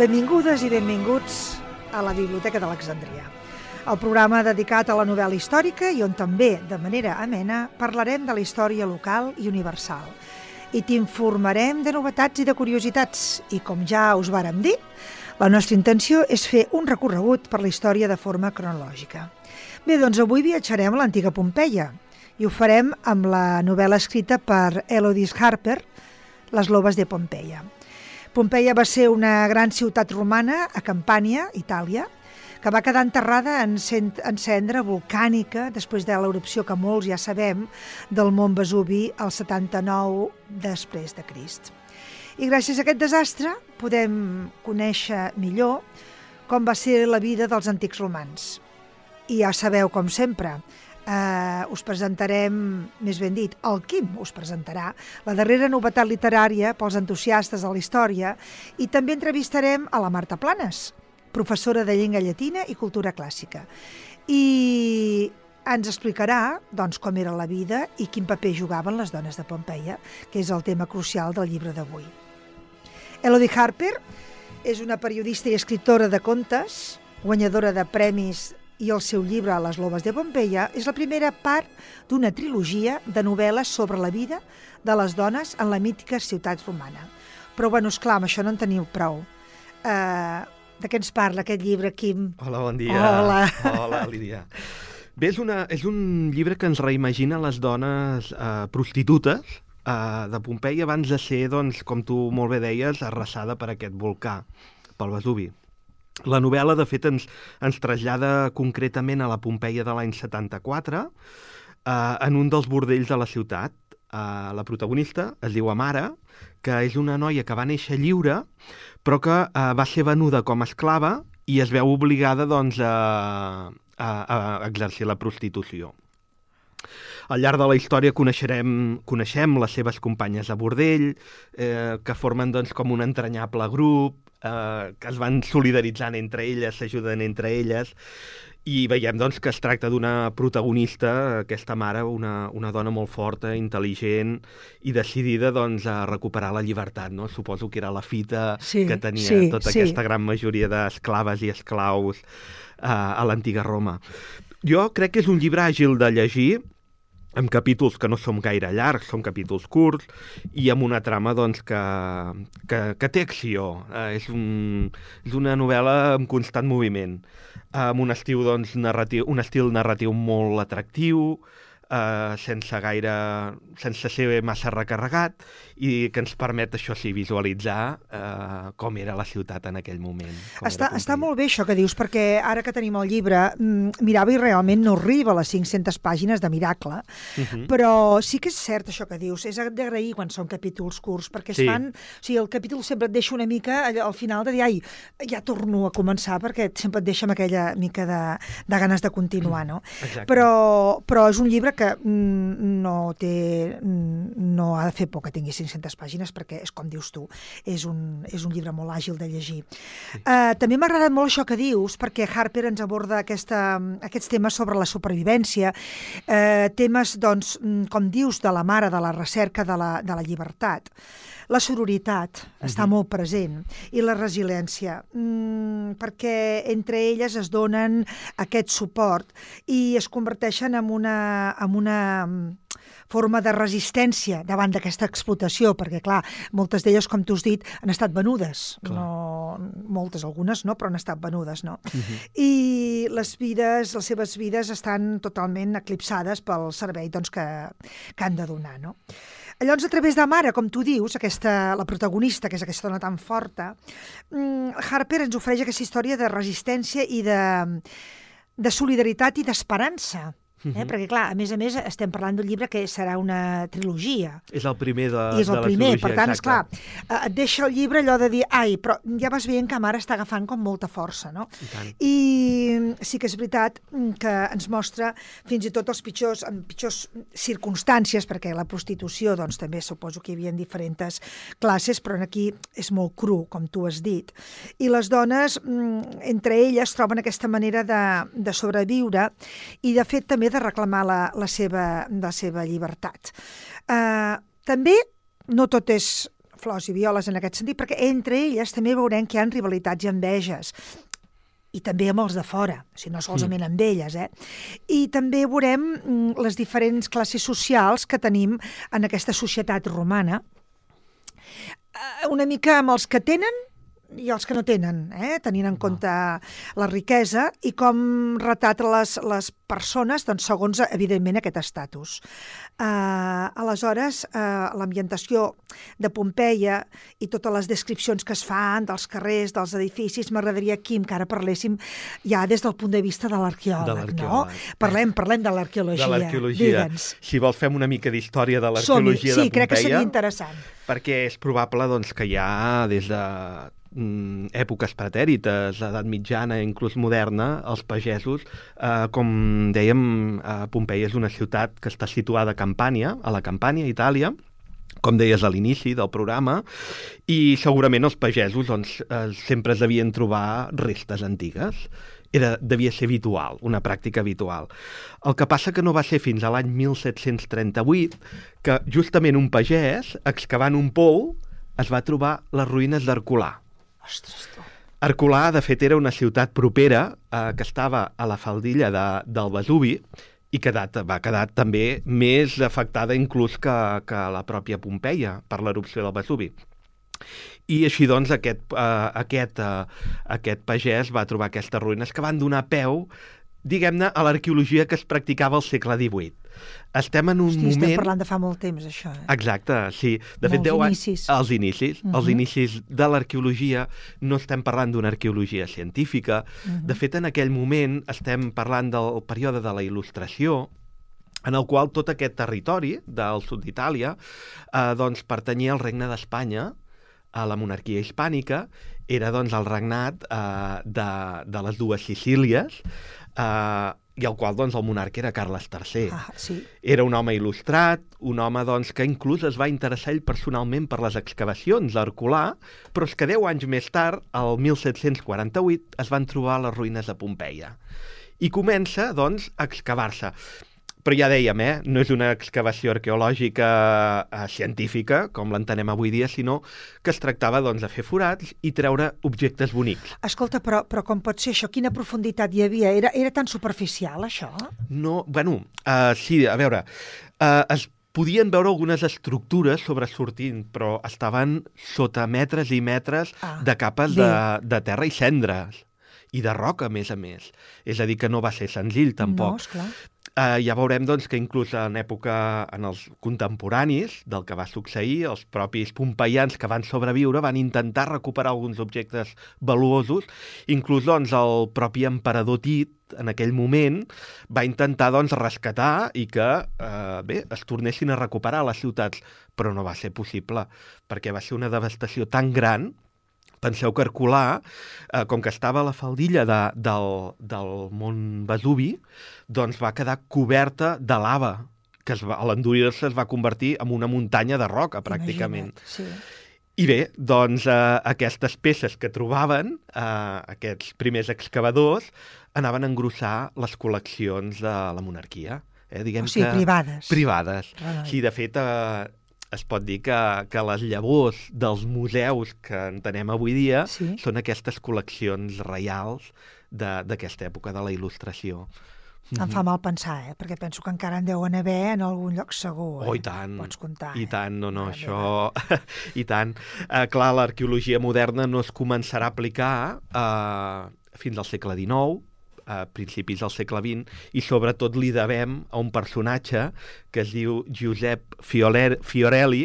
Benvingudes i benvinguts a la Biblioteca d'Alexandria, el programa dedicat a la novel·la històrica i on també, de manera amena, parlarem de la història local i universal. I t'informarem de novetats i de curiositats. I com ja us vàrem dir, la nostra intenció és fer un recorregut per la història de forma cronològica. Bé, doncs avui viatjarem a l'antiga Pompeia i ho farem amb la novel·la escrita per Elodie Harper, Les loves de Pompeia. Pompeia va ser una gran ciutat romana a Campània, Itàlia, que va quedar enterrada en cendra volcànica després de l'erupció que molts ja sabem del mont Vesuvi al 79 després de Crist. I gràcies a aquest desastre podem conèixer millor com va ser la vida dels antics romans. I ja sabeu, com sempre, us presentarem, més ben dit, el Quim us presentarà la darrera novetat literària pels entusiastes de la història i també entrevistarem a la Marta Planes, professora de llengua llatina i cultura clàssica. I ens explicarà doncs, com era la vida i quin paper jugaven les dones de Pompeia, que és el tema crucial del llibre d'avui. Elodie Harper és una periodista i escriptora de contes, guanyadora de premis, i el seu llibre Les loves de Pompeia és la primera part d'una trilogia de novel·les sobre la vida de les dones en la mítica ciutat romana. Però, bueno, esclar, amb això no en teniu prou. De què ens parla aquest llibre, Quim? Hola, bon dia. Hola, Lídia. Bé, és un llibre que ens reimagina les dones prostitutes de Pompeia abans de ser, doncs, com tu molt bé deies, arrasada per aquest volcà, pel Vesuvi. La novel·la, de fet, ens trasllada concretament a la Pompeia de l'any 74, en un dels bordells de la ciutat. La protagonista es diu Amara, que és una noia que va néixer lliure, però que va ser venuda com a esclava i es veu obligada doncs, a exercir la prostitució. Al llarg de la història coneixem les seves companyes de bordell, que formen doncs, com un entranyable grup, que es van solidaritzant entre elles, s'ajuden entre elles, i veiem doncs, que es tracta d'una protagonista, aquesta mare, una dona molt forta, intel·ligent i decidida doncs, a recuperar la llibertat. No? Suposo que era la fita que tenia aquesta gran majoria d'esclaves i esclaus a l'antiga Roma. Jo crec que és un llibre àgil de llegir, amb capítols que no són gaire llargs, són capítols curts, i amb una trama doncs, que té acció. És una novel·la en constant moviment, amb un estil narratiu molt atractiu, sense ser massa recarregat, i que ens permet, això sí, visualitzar com era la ciutat en aquell moment. Està molt bé això que dius, perquè ara que tenim el llibre, mirava i realment no arriba a les 500 pàgines de miracle, però sí que és cert això que dius, és d'agrair quan són capítols curts, perquè es fan, o sigui, el capítol sempre et deixa una mica al final de dir, ai, ja torno a començar, perquè sempre et deixa amb aquella mica de ganes de continuar, no? Però és un llibre que no ha de fer por que tingui 500 pàgines, perquè és com dius tu, és un llibre molt àgil de llegir. També m'ha agradat molt això que dius, perquè Harper ens aborda aquests temes sobre la supervivència, temes, doncs, com dius, de la mare, de la recerca de la llibertat. La sororitat està molt present i la resiliència, perquè entre elles es donen aquest suport i es converteixen en una forma de resistència davant d'aquesta explotació, perquè, clar, moltes d'elles, com tu has dit, han estat venudes. No, moltes, algunes no, però han estat venudes, no? I les seves vides estan totalment eclipsades pel servei doncs, que han de donar, no? Llavors, a través de Mare, com tu dius, la protagonista, que és aquesta dona tan forta, Harper ens ofereix aquesta història de resistència i de solidaritat i d'esperança. Perquè, clar, a més, estem parlant d'un llibre que serà una trilogia. És el primer de la trilogia, per tant, esclar, et deixa el llibre allò de dir, ai, però ja vas veient que Mare està agafant com molta força, no? I sí que és veritat que ens mostra fins i tot en pitjors circumstàncies, perquè la prostitució, doncs, també suposo que hi havia diferents classes, però aquí és molt cru, com tu has dit. I les dones, entre elles, troben aquesta manera de sobreviure i, de fet, també de reclamar la seva llibertat. També no tot és flors i violes en aquest sentit, perquè entre elles també veurem que hi ha rivalitats i enveges, i també amb els de fora, o sigui, no solament amb elles, I també veurem les diferents classes socials que tenim en aquesta societat romana, una mica amb els que tenen i els que no tenen, tenint en compte la riquesa i com retrata les persones, doncs, segons, evidentment, aquest estatus. Aleshores, l'ambientació de Pompeia i totes les descripcions que es fan dels carrers, dels edificis, m'agradaria, Quim, que ara parléssim ja des del punt de vista de l'arqueòleg, no? Parlem de l'arqueòlogia. De l'arqueologia. Digue'ns. Si vols, fem una mica d'història de l'arqueologia de Pompeia. Sí, crec que seria interessant. Perquè és probable doncs, que ja des de èpoques pretèrites, edat mitjana, inclús moderna, els pagesos, com dèiem, Pompeia és una ciutat que està situada a Campània, a la Campània, Itàlia, com deies a l'inici del programa, i segurament els pagesos doncs, sempre es devien trobar restes antigues. Devia ser habitual, una pràctica habitual. El que passa que no va ser fins a l'any 1738 que justament un pagès, excavant un pou, es va trobar les ruïnes d'Herculà. Ostres, tu. Herculà, de fet, era una ciutat propera que estava a la faldilla del Vesuvi i va quedar també més afectada inclús que la pròpia Pompeia per l'erupció del Vesuvi. I així, doncs, aquest pagès va trobar aquestes ruïnes que van donar peu, diguem-ne, a l'arqueologia que es practicava al segle XVIII. Estem en un moment... Estem parlant de fa molt temps, això. Exacte, sí. De fet, 10 anys... Els inicis. Els inicis de l'arqueologia. No estem parlant d'una arqueologia científica. De fet, en aquell moment estem parlant del període de la Il·lustració, en el qual tot aquest territori del sud d'Itàlia doncs, pertanyia al regne d'Espanya, a la monarquia hispànica, era doncs, el regnat de les dues Sicílies, i el qual doncs, el monarca era Carles III. Sí. Era un home il·lustrat, un home doncs, que inclús es va interessar ell personalment per les excavacions d'Herculà, però és que 10 anys més tard, el 1748, es van trobar les ruïnes de Pompeia. I comença doncs, a excavar-se. Però ja dèiem, no és una excavació arqueològica científica, com l'entenem avui dia, sinó que es tractava doncs, de fer forats i treure objectes bonics. Escolta, però com pot ser això? Quina profunditat hi havia? Era tan superficial, això? No, bueno, sí, a veure, es podien veure algunes estructures sobresortint, però estaven sota metres i metres de capes de terra i cendres. I de roca, a més. És a dir, que no va ser senzill, tampoc. No, esclar. Ja veurem doncs, que inclús en els contemporanis del que va succeir, els propis pompeians que van sobreviure van intentar recuperar alguns objectes valuosos. Inclús doncs, el propi emperador Tit, en aquell moment, va intentar doncs, rescatar i que es tornessin a recuperar les ciutats, però no va ser possible, perquè va ser una devastació tan gran. Penseu que Herculà, com que estava a la faldilla del mont Vesuvi, doncs va quedar coberta de lava, que a l'endurir-se es va convertir en una muntanya de roca, pràcticament. Imagina't, sí. I bé, doncs aquestes peces que trobaven, aquests primers excavadors, anaven a engrossar les col·leccions de la monarquia. Diguem o sigui, privades. Privades. Sí, de fet... es pot dir que les llavors dels museus que entenem avui dia són aquestes col·leccions reials d'aquesta època de la Il·lustració. Em fa mal pensar, perquè penso que encara en deuen haver en algun lloc segur. Oh, i tant. Pots comptar. I tant, no, això... I tant. Clar, l'arqueologia moderna no es començarà a aplicar fins al segle XIX, a principis del segle XX, i sobretot li devem a un personatge que es diu Giuseppe Fiorelli,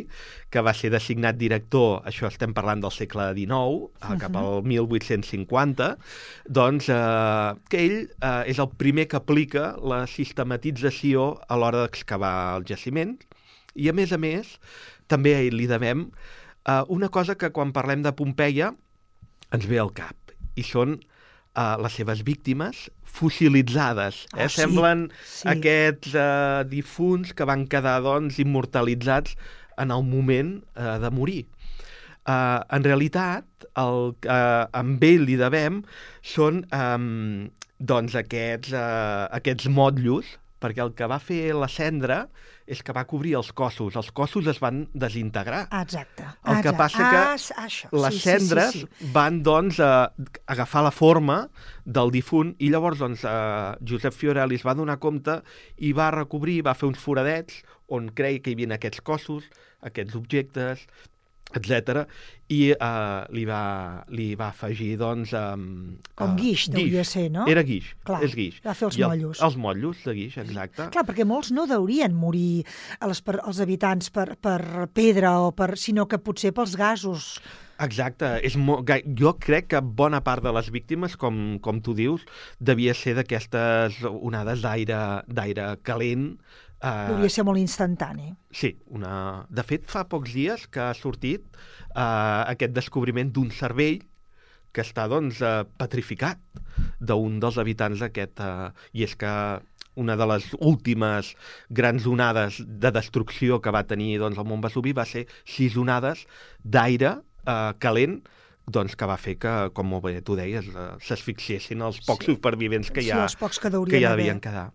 que va ser designat director, això estem parlant del segle XIX, cap al 1850, doncs que ell és el primer que aplica la sistematització a l'hora d'excavar el jaciment, i a més, també a ell li devem una cosa que quan parlem de Pompeia ens ve al cap, i són les seves víctimes fossilitzades. Semblen aquests difunts que van quedar doncs, immortalitzats en el moment de morir. En realitat, el que amb ell li devem són doncs, aquests motllos perquè el que va fer la cendra és que va cobrir els cossos. Els cossos es van desintegrar. Exacte. El que passa que les cendres van, doncs, agafar la forma del difunt i llavors, doncs, Josep Fiorelli es va donar compte i va recobrir, va fer uns foradets on creia que hi havia aquests cossos, aquests objectes, etc. I li va afegir, doncs... com guix, devia ser, no? Era guix, clar, és guix. Va fer els motllos. Els motllos de guix, exacte. Clar, perquè molts no deurien morir els habitants per pedra, sinó que potser pels gasos. Exacte. Jo crec que bona part de les víctimes, com tu dius, devia ser d'aquestes onades d'aire calent. Devia ser molt instantani. Sí. De fet, fa pocs dies que ha sortit aquest descobriment d'un cervell que està, doncs, petrificat d'un dels habitants d'aquest... I és que una de les últimes grans onades de destrucció que va tenir, doncs, el Mont Vesuvi va ser 6 onades d'aire calent, doncs, que va fer que, com molt bé tu deies, s'asfixiessin els pocs supervivents que ja devien quedar.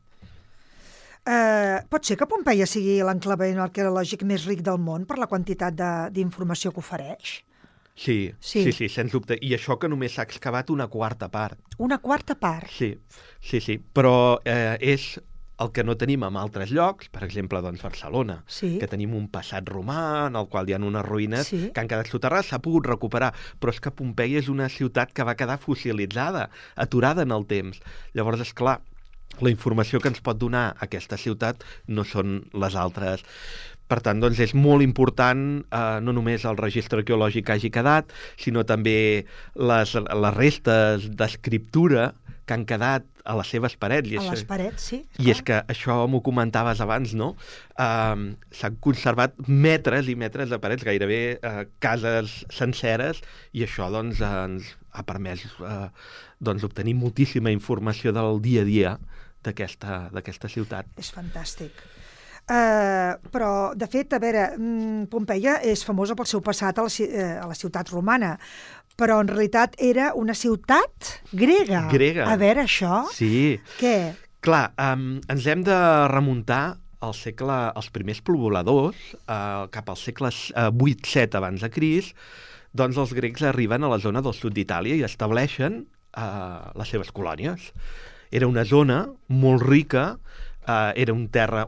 Pot ser que Pompeia sigui l'enclavament arqueològic més ric del món per la quantitat d'informació que ofereix? Sí, sens dubte. I això que només s'ha excavat una quarta part. Una quarta part? Sí. Però és el que no tenim en altres llocs, per exemple, doncs Barcelona, que tenim un passat romà en el qual hi ha unes ruïnes que han quedat soterrades, s'ha pogut recuperar, però és que Pompeia és una ciutat que va quedar fossilitzada, aturada en el temps. Llavors, esclar, la informació que ens pot donar aquesta ciutat no són les altres. Per tant, doncs, és molt important no només el registre arqueològic que hagi quedat, sinó també les restes d'escriptura que han quedat a les seves parets. Les parets, sí. I és que això m'ho comentaves abans, no? S'han conservat metres i metres de parets, gairebé cases senceres, i això, doncs, ens ha permès obtenir moltíssima informació del dia a dia d'aquesta ciutat. És fantàstic. Però, de fet, a veure, Pompeia és famosa pel seu passat a la ciutat romana, però en realitat era una ciutat grega. A veure, això... Sí. Què? Clar, ens hem de remuntar als primers pobladors, cap als segles 8-7 abans de Crist, doncs els grecs arriben a la zona del sud d'Itàlia i estableixen les seves colònies. Era una zona molt rica, era un terra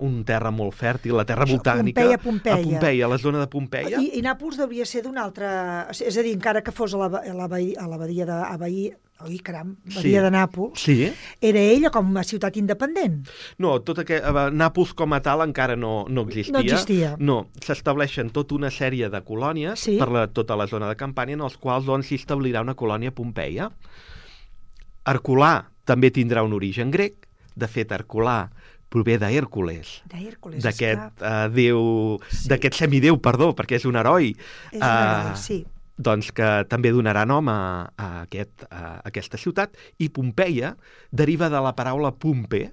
molt fèrtil, la terra volcànica. Pompeia, la zona de Pompeia. I Nàpols devia ser d'una altra... És a dir, encara que fos a la badia de Nàpols, era ella com una ciutat independent? No, Nàpols com a tal encara no existia. No existia. No, s'estableixen tota una sèrie de colònies per tota la zona de Campània, en els quals doncs s'hi establirà una colònia a Pompeia. Herculà també tindrà un origen grec. De fet, Herculà prové d'Hèrcules, d'aquest d'aquest semidéu, perquè és un heroi. És un heroi, sí. Doncs que també donarà nom a aquesta ciutat. I Pompeia deriva de la paraula Pompe,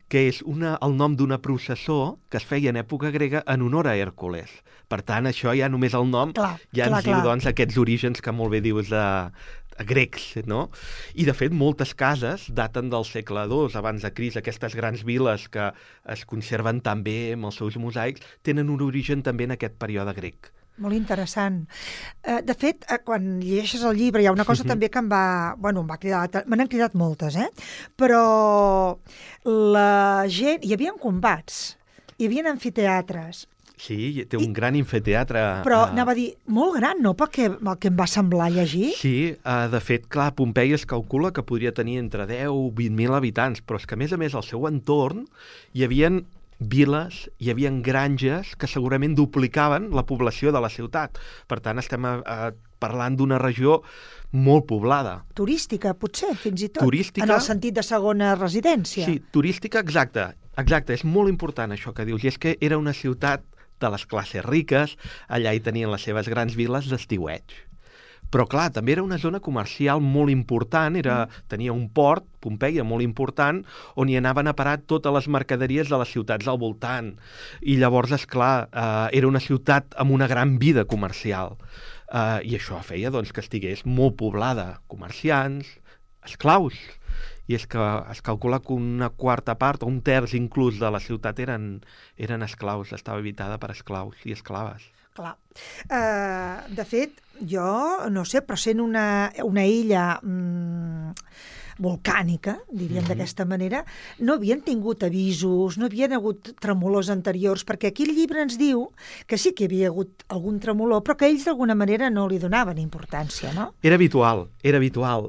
que és el nom d'una processó que es feia en època grega en honor a Hèrcules. Per tant, això ja només el nom ens diu, doncs, aquests orígens que molt bé dius grecs, no? I, de fet, moltes cases daten del segle II abans de Crist. Aquestes grans viles que es conserven tan bé amb els seus mosaics tenen un origen també en aquest període grec. Molt interessant. De fet, quan llegeixes el llibre hi ha una cosa també que em va cridar... Me n'han cridat moltes, però la gent... Hi havia combats, hi havia amfiteatres. Sí, té un gran amfiteatre. Però anava a dir, molt gran, no?, pel que em va semblar llegir. Sí, de fet, clar, Pompeia es calcula que podria tenir entre 10 o 20.000 habitants, però és que, a més, al seu entorn hi havia viles, hi havia granges que segurament duplicaven la població de la ciutat. Per tant, estem parlant d'una regió molt poblada. Turística, potser, fins i tot. Turística. En el sentit de segona residència. Sí, turística, exacte. Exacte, és molt important això que dius. I és que era una ciutat de les classes riques, allà hi tenien les seves grans viles d'estiueig. Però, clar, també era una zona comercial molt important, tenia un port, Pompeia, molt important, on hi anaven a parar totes les mercaderies de les ciutats al voltant. I llavors, esclar, era una ciutat amb una gran vida comercial. I això feia, doncs, que estigués molt poblada. Comerciants, esclaus. i és que es calcula que una quarta part, o un terç inclús de la ciutat eren esclaus, estava habitada per esclaus i esclaves. Clar. De fet, jo, no sé, però sent una illa volcànica, diríem d'aquesta manera, no havien tingut avisos, no havien hagut tremolors anteriors, perquè aquí el llibre ens diu que sí que hi havia hagut algun tremolor, però que ells d'alguna manera no li donaven importància, no? Era habitual.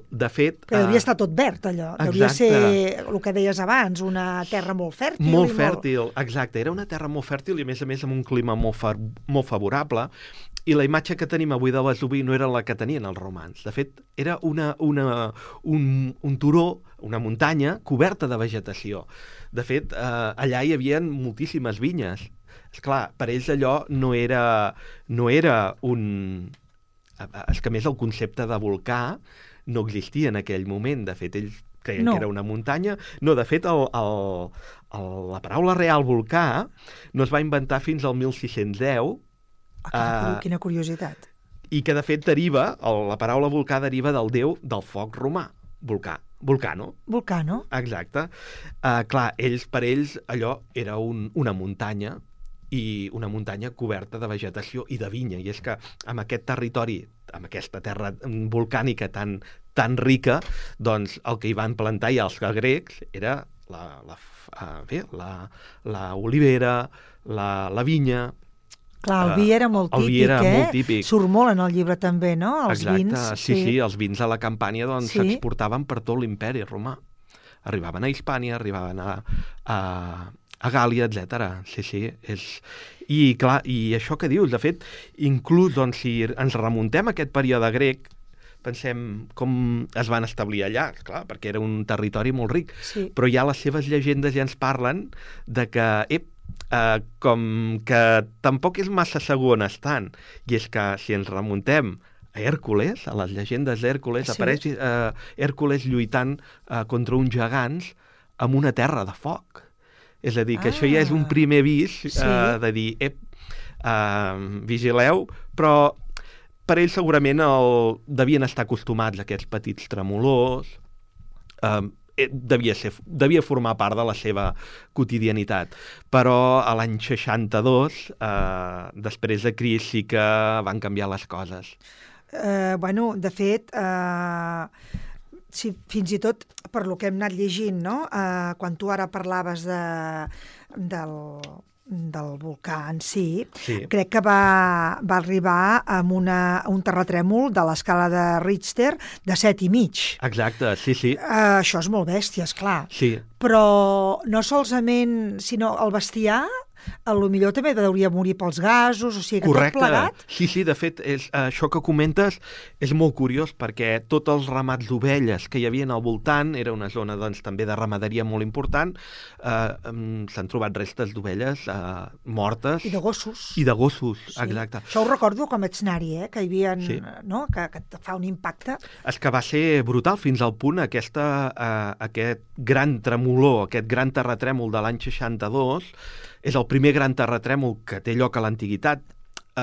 De fet... Però devia estar tot verd, allò. Devia ser, el que deies abans, una terra molt fèrtil. Molt fèrtil, exacte. Era una terra molt fèrtil i, a més amb un clima molt favorable. I la imatge que tenim avui de Vesuvi no era la que tenien els romans. De fet, era un turó, una muntanya coberta de vegetació. De fet, allà hi havia moltíssimes vinyes. Esclar, per ells allò no era un... És que, a més, el concepte de volcà no existia en aquell moment. De fet, ells creien que era una muntanya. No, de fet, la paraula real volcà no es va inventar fins al 1610. Quina curiositat. I que, de fet, la paraula volcà deriva del déu del foc romà. Vulcano. Vulcano. Exacte. Clar, per ells allò era una muntanya, i una muntanya coberta de vegetació i de vinya. I és que amb aquest territori, amb aquesta terra volcànica tan rica, doncs el que hi van plantar ja els grecs era la olivera, la vinya. Clar, el vi era molt típic, molt típic. Surt molt en el llibre també, no? Els vins. Sí, els vins a la Campània s'exportaven per tot l'imperi romà. Arribaven a Hispània, arribaven a Gàlia, etc. Sí. I clar, i això que dius, de fet, inclús, doncs, si ens remuntem a aquest període grec, pensem com es van establir allà, clar, perquè era un territori molt ric, però ja les seves llegendes ja ens parlen de que, com que tampoc és massa segur on estan, i és que si ens remuntem a Hèrcules, a les llegendes d'Hèrcules, apareix Hèrcules lluitant contra uns gegants amb una terra de foc. És a dir, que això ja és un primer avís de dir, vigileu, però per ells segurament devien estar acostumats a aquests petits tremolors, devia formar part de la seva quotidianitat. Però a l'any 62, després de Crist, sí que van canviar les coses. De fet, fins i tot per lo que hem anat llegint, no? Quan tu ara parlaves del volcà en si, crec que va arribar amb un terratrèmol de l'escala de Richter de 7,5. Exacte, sí. Això és molt bèstia, esclar. Sí. Però no solament, sinó el bestiar, potser també hauria morir pels gasos, o sigui que tot plegat... Sí, de fet, això que comentes és molt curiós, perquè tots els ramats d'ovelles que hi havia al voltant, era una zona doncs, també de ramaderia molt important, s'han trobat restes d'ovelles mortes. I de gossos. Exacte. Això ho recordo com vaig anar-hi, que hi havia... No? Que et fa un impacte. És que va ser brutal, fins al punt aquest gran tremolor, aquest gran terratrèmol de l'any 62, és el primer gran terratrèmol que té lloc a l'antiguitat.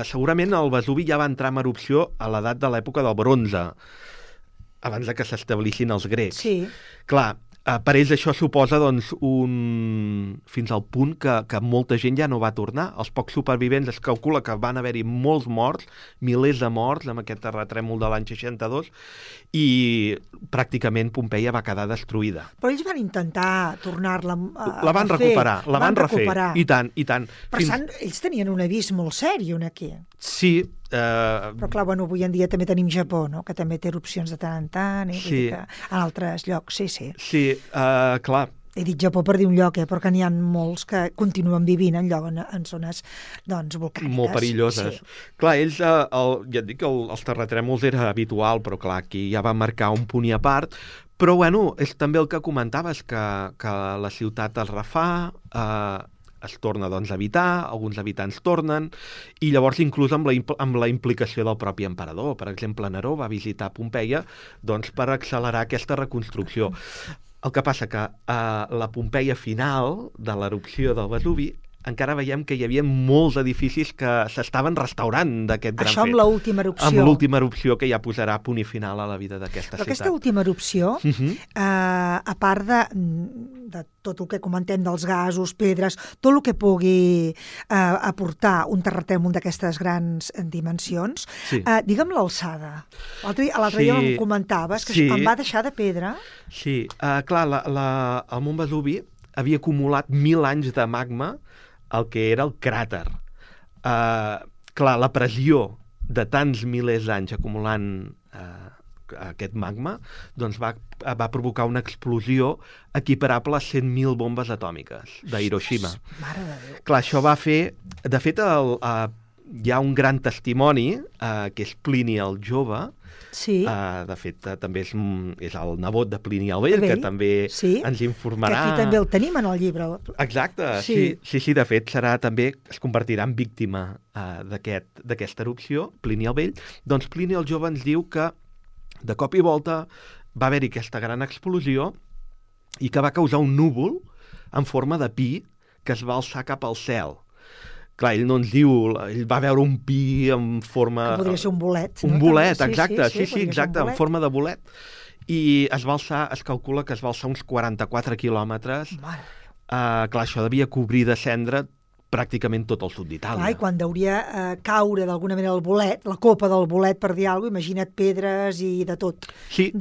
Segurament el Vesuvi ja va entrar en erupció a l'edat de l'època del bronze, abans de que s'establissin els grecs. Sí. Clar, per ells això suposa doncs, fins al punt que molta gent ja no va tornar. Els pocs supervivents es calcula que van haver-hi molts morts, milers de morts amb aquest terratrèmol de l'any 62, i pràcticament Pompeia va quedar destruïda. Però ells van intentar tornar-la a la van recuperar, la van refer. I tant. Per tant, ells tenien un avís molt seri aquí. Sí. Però clar, avui en dia també tenim Japó, no? Que també té erupcions de tant en tant, en altres llocs, sí. Sí, clar. He dit Japó per dir un lloc, però que n'hi ha molts que continuen vivint en zones volcàniques. Molt perilloses. Sí. Clar, ells, ja et dic que els terratrèmols era habitual, però clar, aquí ja va marcar un punt i a part. Però és també el que comentaves, que la ciutat es refà, es torna a habitar, alguns habitants tornen, i llavors inclús amb la implicació del propi emperador. Per exemple, Neró va visitar Pompeia per accelerar aquesta reconstrucció. El que passa que la Pompeia final de l'erupció del Vesuvi encara veiem que hi havia molts edificis que s'estaven restaurant d'aquest gran fet. Això amb l'última erupció. Amb l'última erupció que ja posarà punt i final a la vida d'aquesta ciutat. Però aquesta última erupció, a part de tot el que comentem dels gasos, pedres, tot el que pugui aportar un terratrèmol d'aquestes grans dimensions, digue'm l'alçada. L'altre dia em comentaves que quan va deixar de pedra... Sí, clar, el Mont Vesuvi havia acumulat 1.000 anys de magma el que era el cràter. Clar, la pressió de tants milers d'anys acumulant aquest magma doncs va provocar una explosió equiparable a 100.000 bombes atòmiques d'Hiroshima. Mare de Déu. Clar, això va fer... De fet, hi ha un gran testimoni, que és Plini el Jove. Sí. De fet, també és el nebot de Plini el Vell, que també ens informarà... Que aquí també el tenim en el llibre. Exacte, sí, de fet, es convertirà en víctima d'aquesta erupció, Plini el Vell. Doncs Plini el Jove ens diu que de cop i volta va haver-hi aquesta gran explosió i que va causar un núvol en forma de pi que es va alçar cap al cel. Clar, ell no ens diu... Ell va veure un pi en forma... Que podria ser un bolet. Un bolet, exacte. Sí, exacte, en forma de bolet. I es va alçar, es calcula que es va alçar uns 44 quilòmetres. Mare. Clar, això devia cobrir de cendra pràcticament tot el sud d'Itàlia. Clar, i quan deuria caure d'alguna manera el bolet, la copa del bolet, per dir alguna cosa, imagina't pedres i de tot. Sí.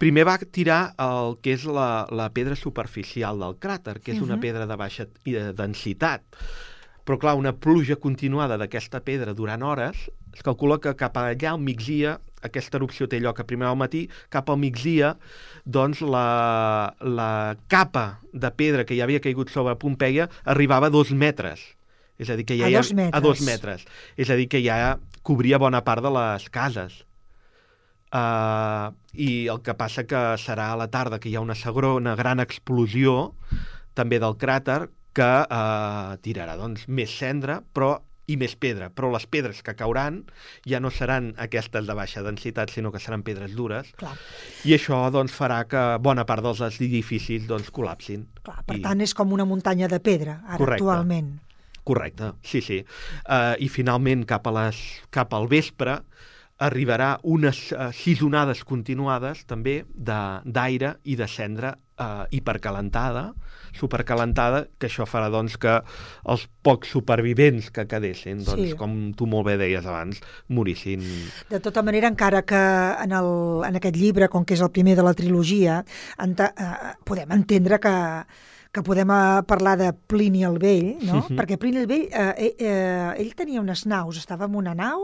Primer va tirar el que és la pedra superficial del cràter, que és una pedra de baixa densitat. Però, clar, una pluja continuada d'aquesta pedra durant hores, es calcula que cap allà al migdia, aquesta erupció té lloc a primer al matí, cap al migdia, doncs la capa de pedra que ja havia caigut sobre Pompeia arribava a 2 metres. És a dir, que ja a 2 metres. És a dir, que ja cobria bona part de les cases. I el que passa que serà a la tarda que hi ha una gran explosió també del cràter, que tirarà doncs, més cendra i més pedra, però les pedres que cauran ja no seran aquestes de baixa densitat, sinó que seran pedres dures. Clar. I això doncs, farà que bona part dels edificis doncs, col·lapsin. Clar, per tant, és com una muntanya de pedra, ara actualment. Correcte, sí. I finalment, cap al vespre, arribarà unes 6 onades continuades també d'aire i de cendra hipercalentada, supercalentada, que això farà doncs, que els pocs supervivents que quedessin, doncs, com tu molt bé deies abans, morissin. De tota manera, encara que en aquest llibre, com que és el primer de la trilogia, podem entendre que podem parlar de Plini el Vell, no? Perquè Plini el Vell, ell tenia unes naus, estava en una nau...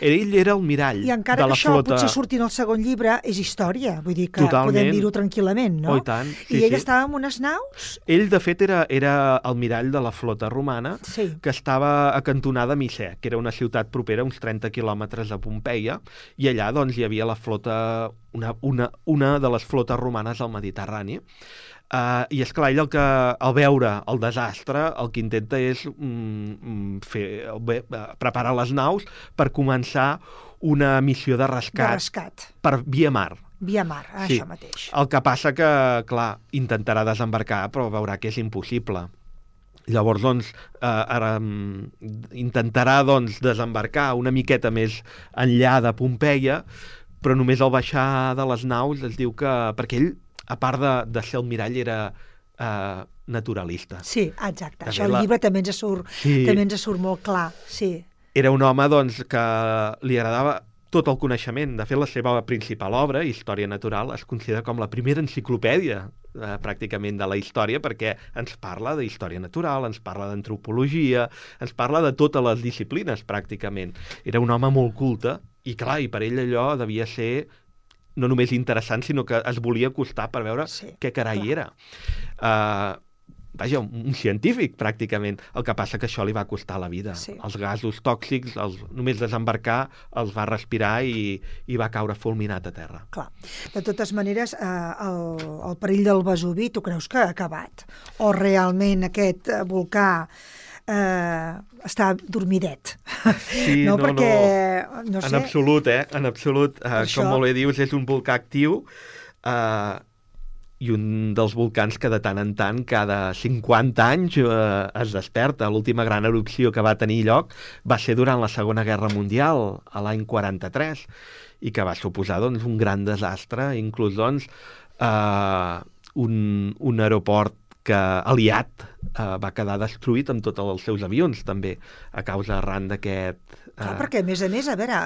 Ell era el mirall de la flota. I encara que això potser surti en el segon llibre, és història, vull dir que podem dir-ho tranquil·lament, no? Oh, i tant. I ell estava en unes naus? Ell, de fet, era el mirall de la flota romana, que estava acantonada a Micè, que era una ciutat propera, uns 30 quilòmetres de Pompeia, i allà doncs, hi havia la flota, una de les flotes romanes al Mediterrani. I esclar, ell al veure el desastre el que intenta és preparar les naus per començar una missió de rescat per via mar. Via mar, això mateix. El que passa que, clar, intentarà desembarcar però veurà que és impossible. Llavors, doncs, intentarà desembarcar una miqueta més enllà de Pompeia, però només al baixar de les naus es diu que... Perquè ell, a part de ser el mirall, era naturalista. Sí, exacte. Això al llibre també ens surt molt clar, sí. Era un home, doncs, que li agradava tot el coneixement. De fet, la seva principal obra, Història Natural, es considera com la primera enciclopèdia pràcticament de la història, perquè ens parla de història natural, ens parla d'antropologia, ens parla de totes les disciplines, pràcticament. Era un home molt culte, i clar, i per ell allò devia ser no només interessant, sinó que es volia acostar per veure què carai era. Vaja, un científic, pràcticament. El que passa que això li va costar la vida. Sí. Els gasos tòxics, només desembarcar, els va respirar i va caure fulminat a terra. Clar. De totes maneres, el perill del Vesuvi, tu creus que ha acabat? O realment aquest volcà està dormidet? Sí, no, perquè, no sé. En absolut, En absolut. Com molt bé dius, és un volcà actiu. i un dels volcans que de tant en tant, cada 50 anys, es desperta. L'última gran erupció que va tenir lloc va ser durant la Segona Guerra Mundial, a l'any 43, i que va suposar doncs, un gran desastre, inclús doncs, un aeroport que aliat va quedar destruït amb tots els seus avions, també, a causa arran d'aquest... Clar, perquè, a més, a veure,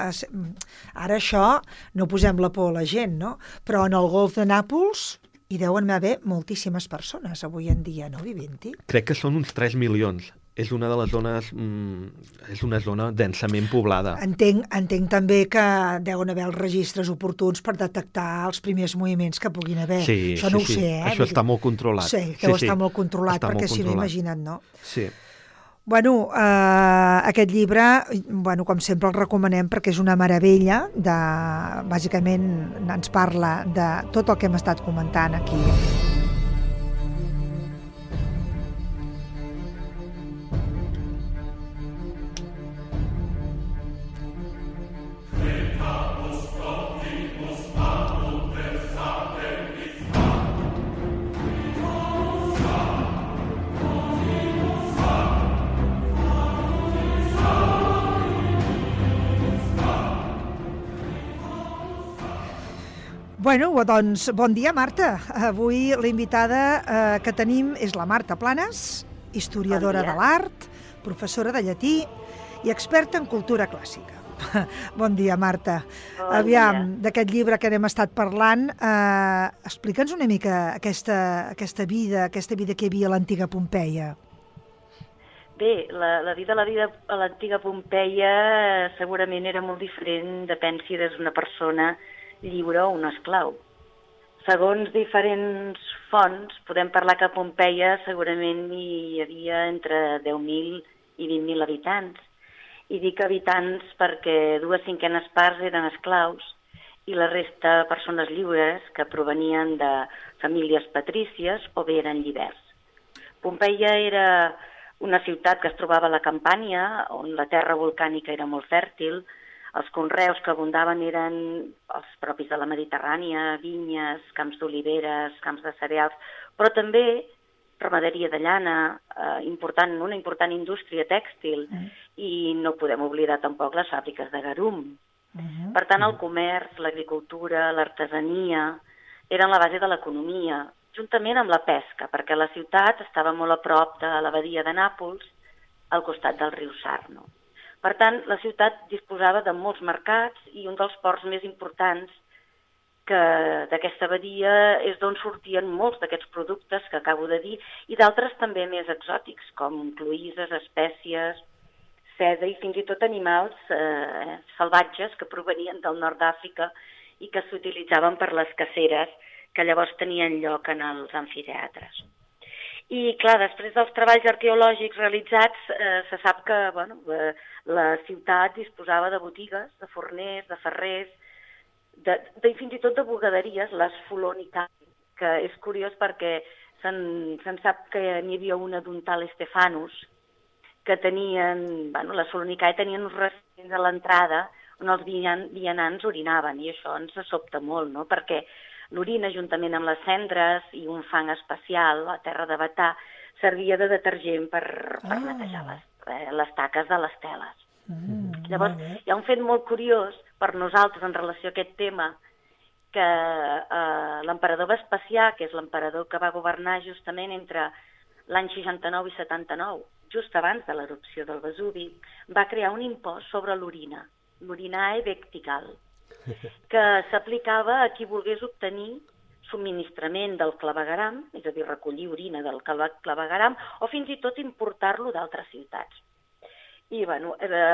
ara això no posem la por a la gent, no? Però en el golf de Nàpols hi deuen haver moltíssimes persones avui en dia, no, vivint-hi? Crec que són uns 3 milions. És una de les zones... és una zona densament poblada. Entenc també que deuen haver els registres oportuns per detectar els primers moviments que puguin haver. Sí, això no ho sé, Això està molt controlat. Sí, deu estar molt controlat, perquè si no, imagina't, no? Sí. Bueno, aquest llibre, com sempre el recomanem perquè és una meravella, bàsicament ens parla de tot el que hem estat comentant aquí. Bueno, doncs, bon dia, Marta. Avui l'invitada que tenim és la Marta Planes, historiadora de l'art, professora de llatí i experta en cultura clàssica. Bon dia, Marta. Aviam, d'aquest llibre que hem estat parlant, explica'ns una mica aquesta vida que hi havia a l'antiga Pompeia. Bé, la vida a l'antiga Pompeia segurament era molt diferent, depèn si eres una persona lliure o un esclau. Segons diferents fonts, podem parlar que a Pompeia segurament hi havia entre 10.000 i 20.000 habitants. I dic habitants perquè 2/5 parts eren esclaus i la resta persones lliures que provenien de famílies patrícies o bé eren llibers. Pompeia era una ciutat que es trobava a la Campània, on la terra volcànica era molt fèrtil. Els conreus que abundaven eren els propis de la Mediterrània, vinyes, camps d'oliveres, camps de cereals, però també ramaderia de llana, una important indústria tèxtil, i no podem oblidar tampoc les fàbriques de garum. Per tant, el comerç, l'agricultura, l'artesania eren la base de l'economia, juntament amb la pesca, perquè la ciutat estava molt a prop de la badia de Nàpols, al costat del riu Sarno. Per tant, la ciutat disposava de molts mercats i un dels ports més importants d'aquesta badia és d'on sortien molts d'aquests productes que acabo de dir i d'altres també més exòtics, com cloïsses, espècies, seda i fins i tot animals salvatges que provenien del nord d'Àfrica i que s'utilitzaven per les caceres que llavors tenien lloc en els amfiteatres. I, clar, després dels treballs arqueològics realitzats, se sap que la ciutat disposava de botigues, de forners, de ferrers, fins i tot de bugaderies, les Fulonicae, que és curiós perquè se'n sap que n'hi havia una d'un tal Estefanus, que tenien, les Fulonicae tenien uns recints a l'entrada on els vianants orinaven, i això ens sobta molt, no?, perquè l'orina, juntament amb les cendres i un fang especial, la terra de Batà, servia de detergent per netejar les taques de les teles. Llavors, hi ha un fet molt curiós per nosaltres en relació a aquest tema, que l'emperador Vespasià, que és l'emperador que va governar justament entre l'any 69 i 79, just abans de l'erupció del Vesuvi, va crear un impost sobre l'orina, l'orinae vectigal, que s'aplicava a qui volgués obtenir subministrament del clavegueram, és a dir, recollir orina del clavegueram, o fins i tot importar-lo d'altres ciutats. I,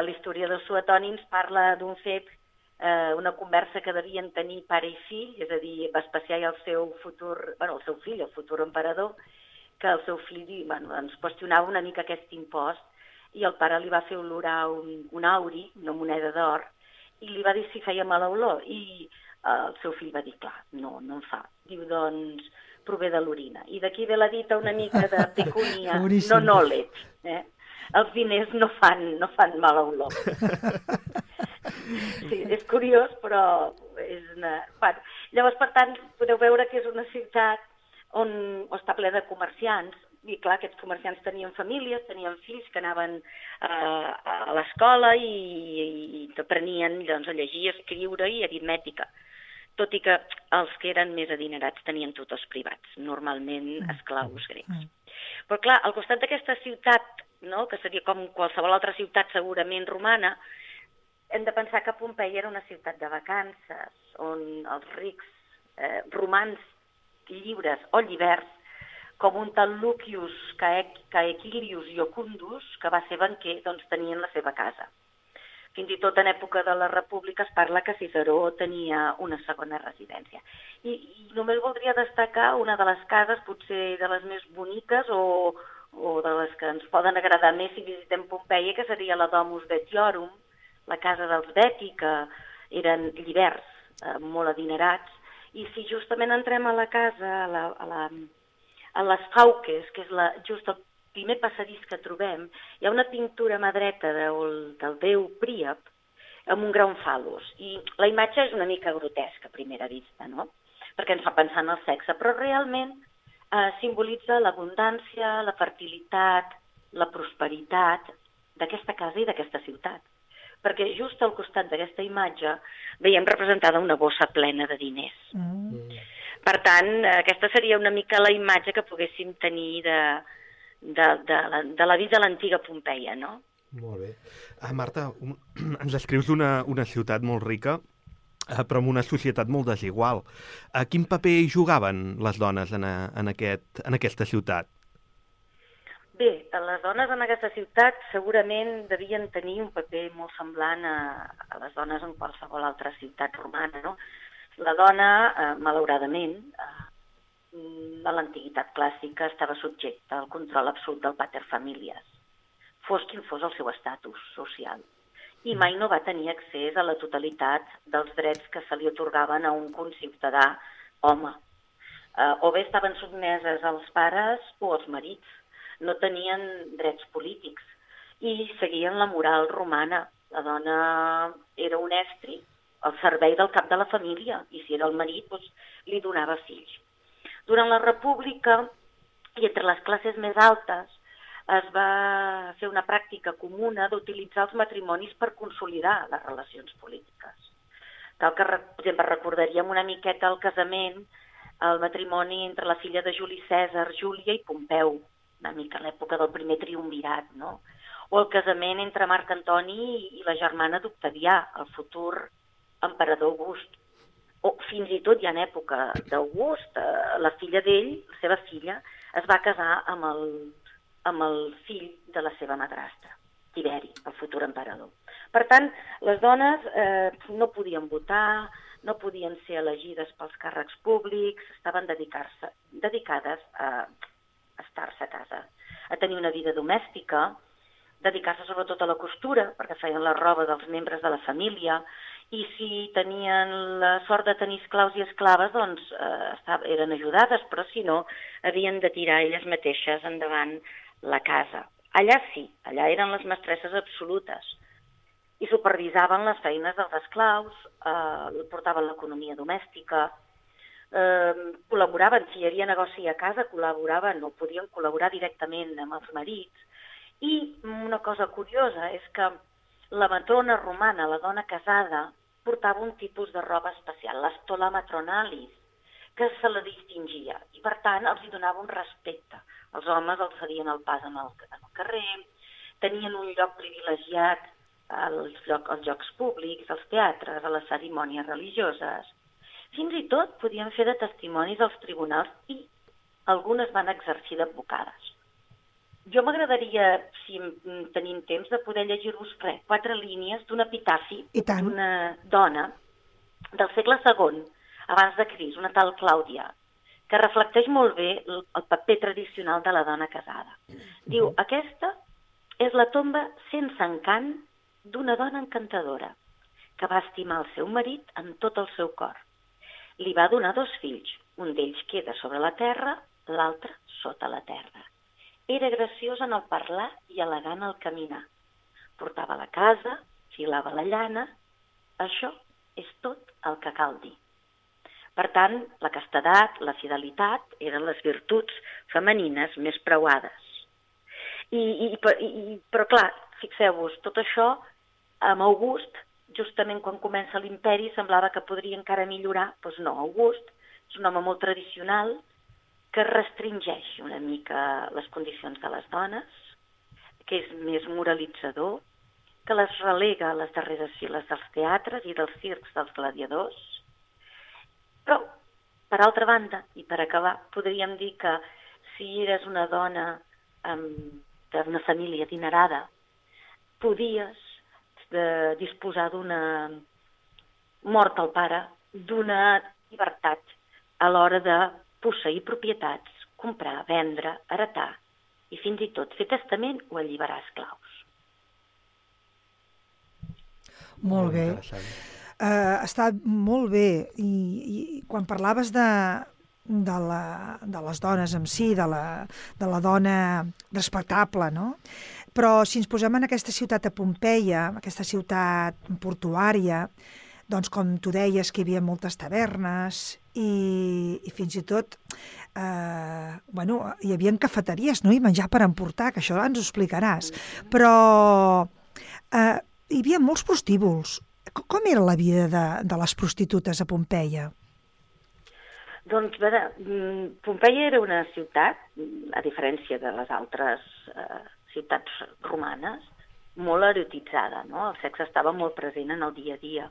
l'historiador Suetoni ens parla d'un fet, una conversa que devien tenir pare i fill, és a dir, Vespasià i el seu fill, el futur emperador, que el seu fill ens qüestionava una mica aquest impost, i el pare li va fer olorar un auri, una moneda d'or, i li va dir si feia mala olor, i el seu fill va dir, clar, no en fa. Diu, doncs, prové de l'orina. I d'aquí ve la dita una mica de pecunia, no nolet. Els diners no fan mala olor. Sí, és curiós, però és una... Llavors, per tant, podeu veure que és una ciutat on està ple de comerciants, i clar, aquests comerciants tenien famílies, tenien fills que anaven a l'escola i aprenien doncs, a llegir, a escriure i aritmètica. Tot i que els que eren més adinerats tenien tutors privats, normalment esclaus grecs. Però clar, al costat d'aquesta ciutat, no, que seria com qualsevol altra ciutat segurament romana, hem de pensar que Pompeia era una ciutat de vacances, on els rics romans lliures o lliberts, com un tal Lucius Caecilius Iocundus, que va ser banquer, doncs tenien la seva casa. Fins i tot en època de la República es parla que Ciceró tenia una segona residència. I només voldria destacar una de les cases, potser de les més boniques o de les que ens poden agradar més si visitem Pompeia, que seria la Domus Betiorum, la casa dels Beti, que eren lliberts, molt adinerats, i si justament entrem a la casa, a les Fauques, que és just el primer passadís que trobem, hi ha una pintura a mà dreta del déu Príap amb un gran fal·lus. I la imatge és una mica grotesca a primera vista, no? Perquè ens fa pensar en el sexe, però realment simbolitza l'abundància, la fertilitat, la prosperitat d'aquesta casa i d'aquesta ciutat. Perquè just al costat d'aquesta imatge veiem representada una bossa plena de diners. Per tant, aquesta seria una mica la imatge que poguéssim tenir de la vida de l'antiga Pompeia, no? Molt bé. Marta, ens descrius una ciutat molt rica, però amb una societat molt desigual. Quin paper hi jugaven les dones en aquesta ciutat? Bé, les dones en aquesta ciutat segurament devien tenir un paper molt semblant a les dones en qualsevol altra ciutat romana, no? La dona, malauradament, a l'antiguitat clàssica estava subjecta al control absolut del pater familias, fos quin fos el seu estatus social, i mai no va tenir accés a la totalitat dels drets que se li atorgaven a un conciutadà home. O bé estaven sotmeses als pares o als marits, no tenien drets polítics i seguien la moral romana. La dona era un estri al servei del cap de la família, i si era el marit, doncs, li donava fills. Durant la República, i entre les classes més altes, es va fer una pràctica comuna d'utilitzar els matrimonis per consolidar les relacions polítiques. Cal que, per exemple, recordaríem una miqueta el casament, el matrimoni entre la filla de Juli Cèsar, Júlia, i Pompeu, una mica a l'època del primer triumvirat, no? O el casament entre Marc Antoni i la germana d'Octavià, el futur emperador August. O fins i tot ja en època d'August, la filla d'ell, la seva filla, es va casar amb el fill de la seva madrastra, Tiberi, el futur emperador. Per tant, les dones no podien votar, no podien ser elegides pels càrrecs públics, estaven dedicades a estar-se a casa, a tenir una vida domèstica, dedicar-se sobretot a la costura, perquè feien la roba dels membres de la família, i si tenien la sort de tenir esclaus i esclaves, doncs eren ajudades, però si no, havien de tirar elles mateixes endavant la casa. Allà sí, allà eren les mestresses absolutes i supervisaven les feines dels esclaus, portaven l'economia domèstica, col·laboraven, si hi havia negoci a casa, col·laboraven o podien col·laborar directament amb els marits. I una cosa curiosa és que la matrona romana, la dona casada, portava un tipus de roba especial, l'estola matronalis, que se la distingia i, per tant, els hi donava un respecte. Els homes els cedien el pas en el carrer, tenien un lloc privilegiat als llocs públics, als teatres, a les cerimònies religioses. Fins i tot podien fer de testimonis als tribunals i algunes van exercir d'advocades. Jo m'agradaria, si tenim temps, de poder llegir-vos 4 línies d'un epitafi d'una dona del segle II, abans de Crist, una tal Clàudia, que reflecteix molt bé el paper tradicional de la dona casada. Diu, aquesta és la tomba sense encant d'una dona encantadora, que va estimar el seu marit amb tot el seu cor. Li va donar 2 fills, un d'ells queda sobre la terra, l'altre sota la terra. Era graciós en el parlar i elegant al caminar. Portava la casa, filava la llana. Això és tot el que cal dir. Per tant, la castedat, la fidelitat, eren les virtuts femenines més preuades. Però clar, fixeu-vos, tot això amb August, justament quan comença l'imperi, semblava que podria encara millorar. Doncs no, August és un home molt tradicional que restringeix una mica les condicions de les dones, que és més moralitzador, que les relega a les darreres files dels teatres i dels circs dels gladiadors. Però, per altra banda, i per acabar, podríem dir que si eres una dona d'una família adinerada, podies disposar d'una mort al pare, d'una llibertat a l'hora de posseir propietats, comprar, vendre, heretar i fins i tot fer testament o alliberar esclaus. Molt bé. Està molt bé. I quan parlaves de les dones en si, de la dona respectable, no? Però si ens posem en aquesta ciutat de Pompeia, aquesta ciutat portuària, doncs com tu deies que hi havia moltes tavernes i fins i tot hi havia cafeteries, no? I menjar per emportar, que això ens ho explicaràs. Però hi havia molts prostíbuls. Com era la vida de les prostitutes a Pompeia? Doncs, a veure, Pompeia era una ciutat, a diferència de les altres ciutats romanes, molt erotitzada, no? El sexe estava molt present en el dia a dia.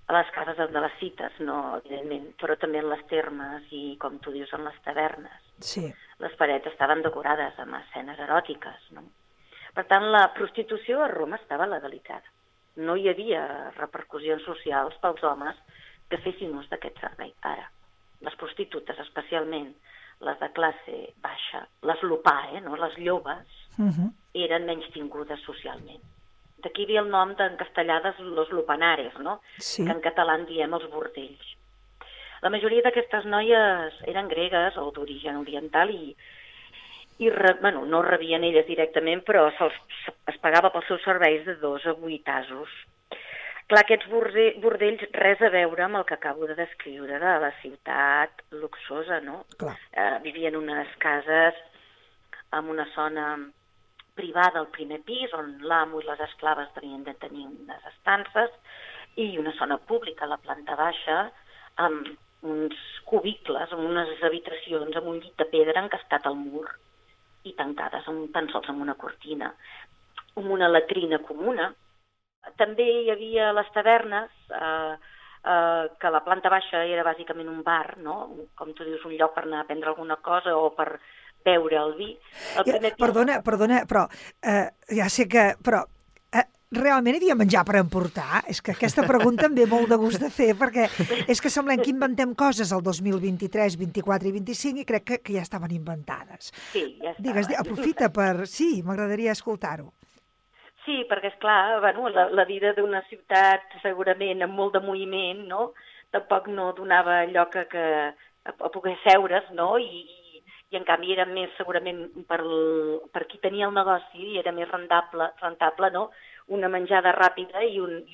A les cases de les cites, no, evidentment, però també en les termes i, com tu dius, en les tavernes. Sí. Les parets estaven decorades amb escenes eròtiques, no? Per tant, la prostitució a Roma estava legalitzada. No hi havia repercussions socials pels homes que fessin ús d'aquest servei. Ara, les prostitutes, especialment les de classe baixa, les lupae, no? Les llobes, eren menys tingudes socialment. D'aquí ve el nom en castellà de los lupanares, no? Sí. Que en català en diem els bordells. La majoria d'aquestes noies eren gregues o d'origen oriental i no rebien elles directament, però es pagava pels seus serveis de 2 a 8 asos. Clar, aquests bordells res a veure amb el que acabo de descriure de la ciutat luxosa, no? Vivien en unes cases amb una zona privada al primer pis, on l'amo i les esclaves tenien de tenir unes estances, i una zona pública a la planta baixa, amb uns cubicles, amb unes habitacions, amb un llit de pedra encastat al mur, i tancades tan sols amb una cortina, amb una latrina comuna. També hi havia les tavernes, que la planta baixa era bàsicament un bar, no? Com tu dius, un lloc per anar a prendre alguna cosa o per beure el vi. Perdona, però ja sé que... Però realment hi havia menjar per emportar? És que aquesta pregunta em ve molt de gust de fer, perquè és que semblem que inventem coses el 2023, 24 i 25 i crec que ja estaven inventades. Sí, ja estaven. Digues, aprofita per... Sí, m'agradaria escoltar-ho. Sí, perquè, esclar, la vida d'una ciutat segurament amb molt de moviment, no? Tampoc no donava lloc a poder seure's, no? I en canvi era més segurament per qui tenia el negoci i era més rentable, no? Una menjada ràpida i un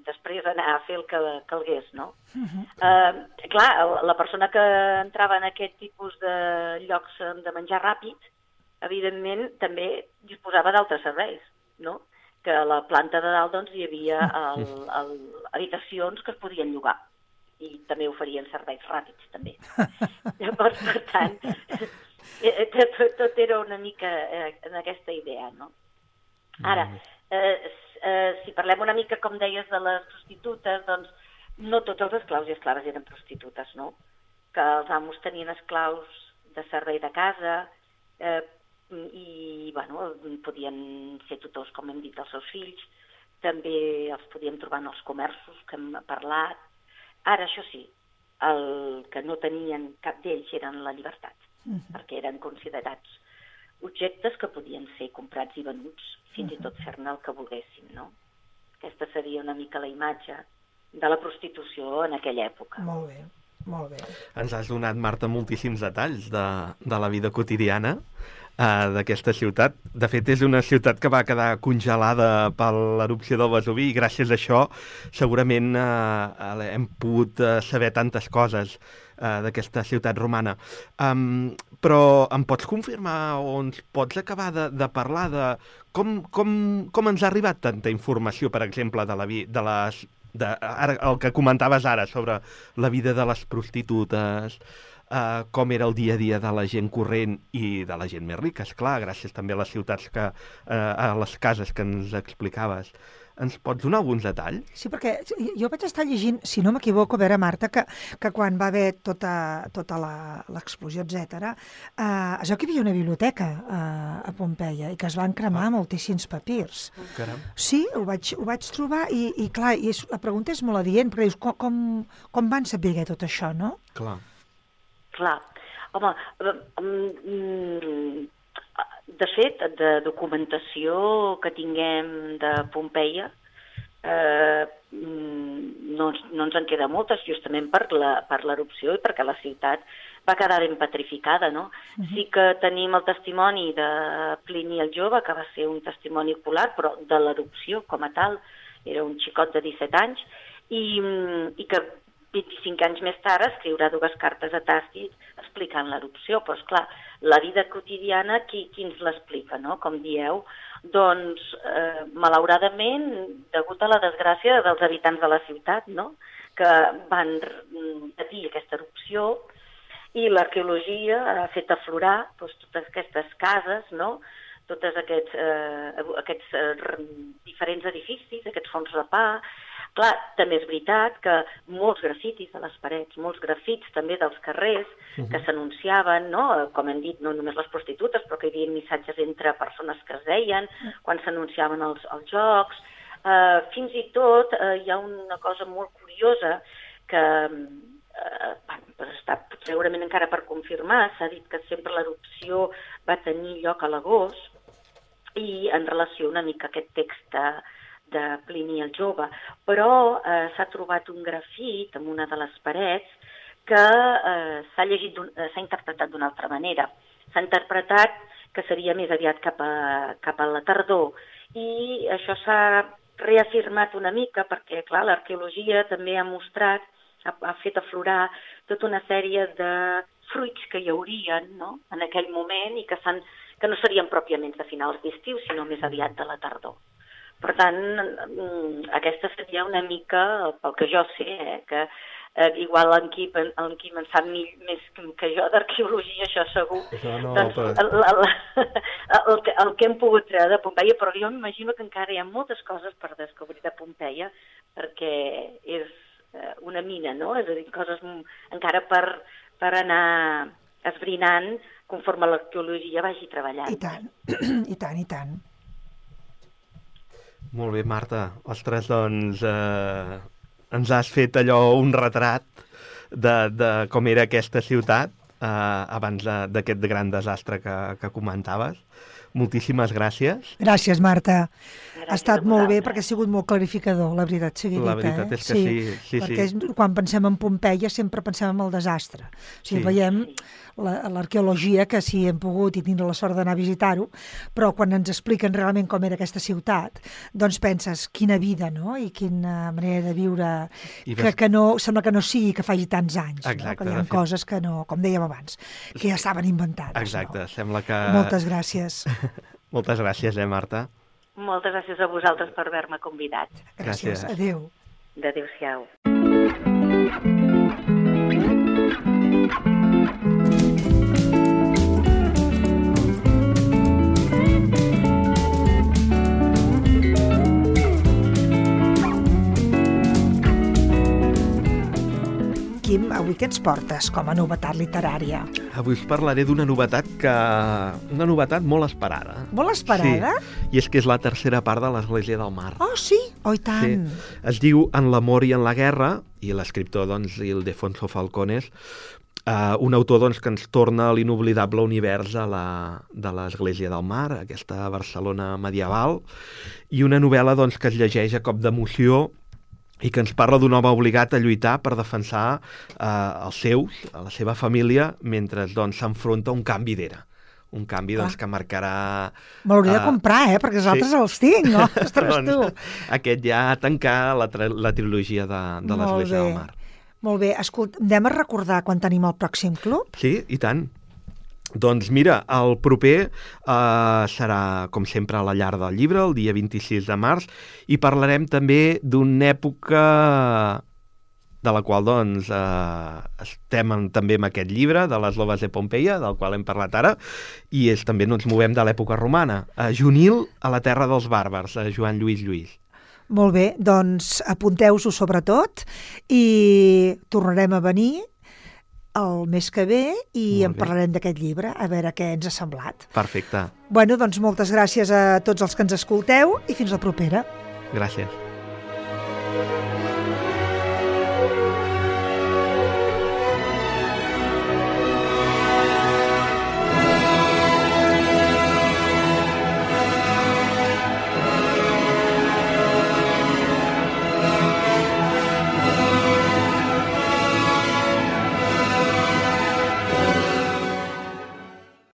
després anar a fer el que calgués, no? Clar, la persona que entrava en aquest tipus de llocs de menjar ràpid, evidentment també disposava d'altres serveis, no? Que a la planta de dalt doncs, hi havia habitacions que es podien llogar i també oferien serveis ràpids, també. Llavors, per tant, tot era una mica en aquesta idea, no? Ara, si parlem una mica, com deies, de les prostitutes, doncs no tots els esclaus i esclaves eren prostitutes, no? Que els amos tenien esclaus de servei de casa i, podien ser tutors, com hem dit, dels seus fills. També els podíem trobar en els comerços que hem parlat. Ara, això sí, el que no tenien cap d'ells eren la llibertat, perquè eren considerats objectes que podien ser comprats i venuts, fins i tot fer-ne el que volguessin, no? Aquesta seria una mica la imatge de la prostitució en aquella època. Molt bé, molt bé. Ens has donat, Marta, moltíssims detalls de la vida quotidiana. d'aquesta ciutat. De fet, és una ciutat que va quedar congelada per l'erupció del Vesuvi i gràcies a això segurament hem pogut saber tantes coses d'aquesta ciutat romana. Però em pots confirmar o ens pots acabar de parlar de com ens ha arribat tanta informació, per exemple, el que comentaves ara sobre la vida de les prostitutes, com era el dia a dia de la gent corrent i de la gent més rica, esclar, gràcies també a les ciutats a les cases que ens explicaves. Ens pots donar alguns detalls? Sí, perquè jo vaig estar llegint, si no m'equivoco, a veure, Marta, que quan va haver tota l'explosió, etc., es veu que hi havia una biblioteca a Pompeia i que es van cremar moltíssims papirs. Caram. Sí, ho vaig trobar i clar, la pregunta és molt adient, perquè dius, com van saber tot això, no? Clar. Home, de fet, de documentació que tinguem de Pompeia, no ens en queda moltes, justament per l'erupció i perquè la ciutat va quedar ben petrificada, no? Sí que tenim el testimoni de Plini el Jove, que va ser un testimoni ocular, però de l'erupció com a tal, era un xicot de 17 anys, i que 25 anys més tard escriurà 2 cartes a Tàcit explicant l'erupció, però esclar, la vida quotidiana qui ens l'explica, no? Com dieu, doncs malauradament, degut a la desgràcia dels habitants de la ciutat, no? Que van patir aquesta erupció i l'arqueologia ha fet aflorar doncs, totes aquestes cases, no? Tots aquests diferents edificis, aquests fons de pa. Clar, també és veritat que molts grafitis a les parets, molts grafits també dels carrers que s'anunciaven, no? Com hem dit, no només les prostitutes, però que hi havia missatges entre persones que es deien, quan s'anunciaven els jocs. Fins i tot hi ha una cosa molt curiosa que està segurament encara per confirmar. S'ha dit que sempre l'erupció va tenir lloc a l'agost i en relació una mica a aquest text de Plini el Jove, però s'ha trobat un grafit en una de les parets que s'ha interpretat d'una altra manera. S'ha interpretat que seria més aviat cap a la tardor i això s'ha reafirmat una mica perquè, clar, l'arqueologia també ha mostrat, ha fet aflorar tota una sèrie de fruits que hi haurien, no?, en aquell moment i que no serien pròpiament de finals d'estiu, sinó més aviat de la tardor. Per tant, aquesta seria una mica, pel que jo sé, que igual en Quim en sap més que jo d'arqueologia, això segur. Doncs el que hem pogut treure de Pompeia, però jo m'imagino que encara hi ha moltes coses per descobrir de Pompeia, perquè és una mina, no? És a dir, coses encara per anar esbrinant conforme l'arqueologia vagi treballant. I tant, i tant, i tant. Molt bé, Marta. Ostres, doncs ens has fet allò, un retrat de com era aquesta ciutat abans d'aquest gran desastre que comentaves. Moltíssimes gràcies. Gràcies, Marta. Ha estat molt bé perquè ha sigut molt clarificador, la veritat sigui dita. La veritat és que sí. Perquè quan pensem en Pompeia sempre pensem en el desastre. O sigui, veiem l'arqueologia, que sí hem pogut i tindre la sort d'anar a visitar-ho, però quan ens expliquen realment com era aquesta ciutat, doncs penses, quina vida, no?, i quina manera de viure, que no, sembla que no sigui que faci tants anys. Exacte. No? Que hi ha coses que no, com dèiem abans, que ja estaven inventades. Exacte, no? Sembla que... Moltes gràcies. Moltes gràcies, Marta? Moltes gràcies a vosaltres per haver-me convidat. Gràcies. Adéu. Adéu-siau. Quim, avui què ens portes com a novetat literària? Avui us parlaré d'una novetat molt esperada. Molt esperada? Sí, i és que és la tercera part de l'Església del Mar. Oh, sí? Oh, i tant! Sí. Es diu En l'amor i en la guerra, i l'escriptor, doncs, Ildefonso Falcones, un autor, doncs, que ens torna a l'inoblidable univers de l'Església del Mar, aquesta Barcelona medieval, i una novel·la, doncs, que es llegeix a cop d'emoció i que ens parla d'un home obligat a lluitar per defensar els seus, a la seva família, mentre doncs, s'enfronta a un canvi d'era. Un canvi doncs, que marcarà... Me l'hauré de comprar, perquè els altres els tinc, no? Ostres, tu. Aquest ja tancar la trilogia de l'Església del Mar. Molt bé. Escolta, anem a recordar quan tenim el pròxim club? Sí, i tant. Doncs mira, el proper serà, com sempre, a la Llar del Llibre, el dia 26 de març, i parlarem també d'una època de la qual doncs, estem també amb aquest llibre, de les Loves de Pompeia, del qual hem parlat ara, i també ens movem de l'època romana. Junil a la terra dels bàrbars, Joan Lluís Lluís. Molt bé, doncs apunteu-ho sobretot i tornarem a venir el mes que ve i en parlarem d'aquest llibre, a veure què ens ha semblat. Perfecte. Bueno, doncs moltes gràcies a tots els que ens escolteu i fins la propera. Gràcies.